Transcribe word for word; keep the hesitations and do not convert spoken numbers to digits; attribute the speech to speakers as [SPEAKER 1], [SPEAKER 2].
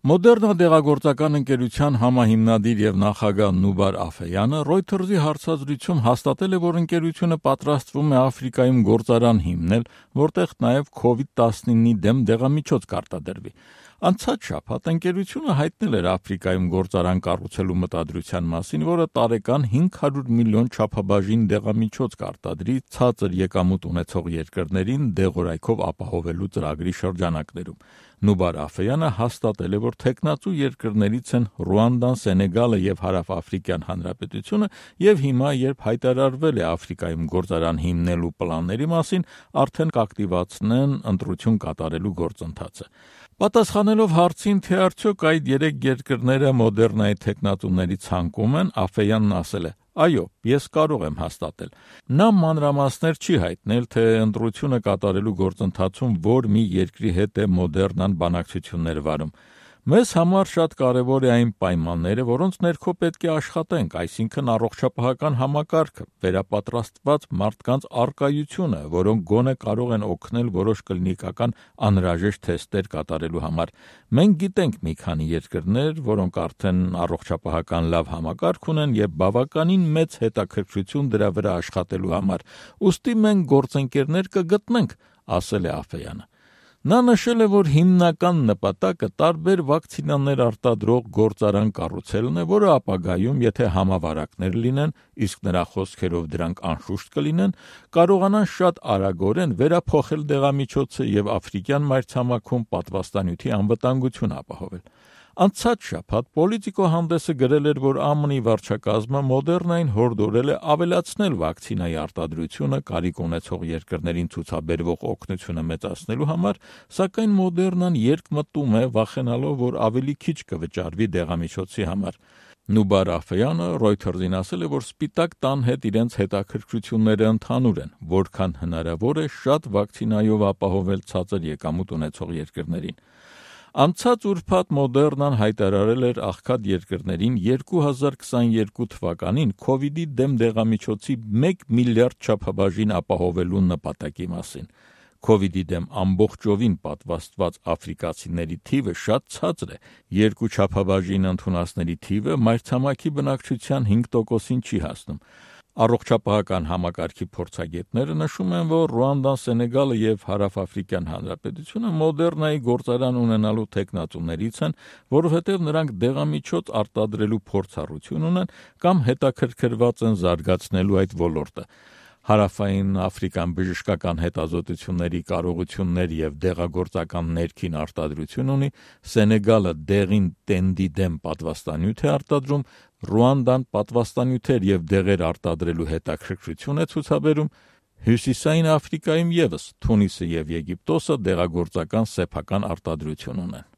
[SPEAKER 1] Մոդեռնա դեղագործական ընկերության համահիմնադիր եւ նախագահ Նուբար Աֆեյանը Reuters-ի հարցազրույցում հաստատել է, որ ընկերությունը պատրաստվում է Աֆրիկայում գործարան հիմնել, որտեղ նաեւ քովիդ տասնինի դեմ դեղամիջոց կարտադրվի։ Անցած շաբաթ ընկերությունը հայտնել էր Աֆրիկայում գործարան կառուցելու մտադրության մասին, որը տարեկան հինգ հարյուր միլիոն չափաբաժին դեղամիջոց կարտադրի ցածր եկամուտ ունեցող երկրներին դեղորայքով ապահովելու ծրագրի շրջանակներում։ Նուբար Աֆեյանը հաստատել է, որ թեկնածու երկրներից են Ռուանդան, Սենեգալը եւ Հարավաֆրիկյան Հանրապետությունը, եւ հիմա, երբ հայտարարվել է Աֆրիկայում գործարան հիմնելու պլանների մասին, արդեն կակտիվացնեն ընտրություն կատարելու գործընթացը։ Պատասխանելով հարցին, թե արդյոք այդ երեք երկրները Մոդեռնայի թեկնածուների ցանկում են, Աֆեյանն ասել է. «Այո, ես կարող եմ հաստատել»։ Նա մանրամասներ չի հայտնել, թե ընտրությունը կատարելու գործընթացում որ մի երկրի հետ է Մոդեռնան բանակցություններ վարում։ Մեզ համար շատ կարևոր է այն պայմանները, որոնց ներքո պետք է աշխատենք, այսինքն առողջապահական համակարգը, վերապատրաստված մարդկանց առկայությունը, որոնք գոնե կարող են օգնել որոշ կլինիկական անհրաժեշտ թեստեր կատարելու համար։ Մենք գիտենք մի քանի երկրներ, որոնք արդեն առողջապահական լավ համակարգ ունեն եւ բավականին մեծ հետաքրքրություն դրա վրա աշխատելու համար։ Ուստի մենք գործընկերներ կգտնենք, ասել է Աֆեյանը։ Նա նշել է, որ հիմնական նպատակը տարբեր վակցինաներ արտադրող գործարան կառուցելն է, որը ապագայում, եթե համավարակներ լինեն, իսկ նրա խոսքերով դրանք անշուշտ կլինեն, կարողանան շատ արագորեն վերափոխել դեղամիջոցը եւ աֆրիկյան մայրցամաքում պատվաստանյութի անվտանգություն ապահովել։ Անցած շաբաթ Պոլիտիկո հանդեսը գրել էր, որ ԱՄՆ-ի վարչակազմը Մոդեռնային հորդորել է ավելացնել վակցինայի արտադրությունը կարիք ունեցող երկրներին ցուցաբերվող օգնությունը մեծացնելու համար, սակայն Մոդեռնան երկմտում է, վախենալով, որ ավելի քիչ կվճարվի դեղամիջոցի համար։ Նուբար Աֆեյանը Reuters-ին ասել է, որ Սպիտակ տան հետ իրենց հետաքրքրությունները ընդհանուր են, որքան հնարավոր է շատ վակցինայով ապահովել ցածր եկամուտ ունեցող երկրներին։ Անցած ուրբաթ Մոդեռնան հայտարարել էր աղքատ երկրներին երկու հազար քսաներկու թվականին քովիդի դեմ դեղամիջոցի մեկ միլիարդ չափաբաժին ապահովելու նպատակի մասին։ Քովիդի դեմ ամբողջովին պատվաստված աֆրիկացիների թիվը շատ ցածր է, երկու չափաբաժին ընդունածների թիվը մայրցամաքի բնակչության հինգ տոկոսին չի հասնում։ Առողջապահական համակարգի փորձագետները նշում են, որ Ռուանդան, Սենեգալը եւ Հարավաֆրիկյան Հանրապետությունը Մոդեռնայի գործարան ունենալու թեկնածուներից են, որովհետեւ նրանք դեղամիջոց արտադրելու փորձառություն ունեն կամ հետաքրքրված են զարգացնելու այդ ոլորտը։ Հարավային Աֆրիկան բժշկական հետազոտությունների կարողություններ եւ դեղագործական ներքին արտադրություն ունի, Սենեգալը դեղին տենդի դեմ պատվաստանյութ է արտադրում, Ռուանդան պատվաստանյութեր եւ դեղեր արտադրելու հետաքրքրություն է ցուցաբերում, Հյուսիսային Աֆրիկայում եւս Թունիսը եւ Եգիպտոսը դեղագործական սեփական արտադրություն ունեն։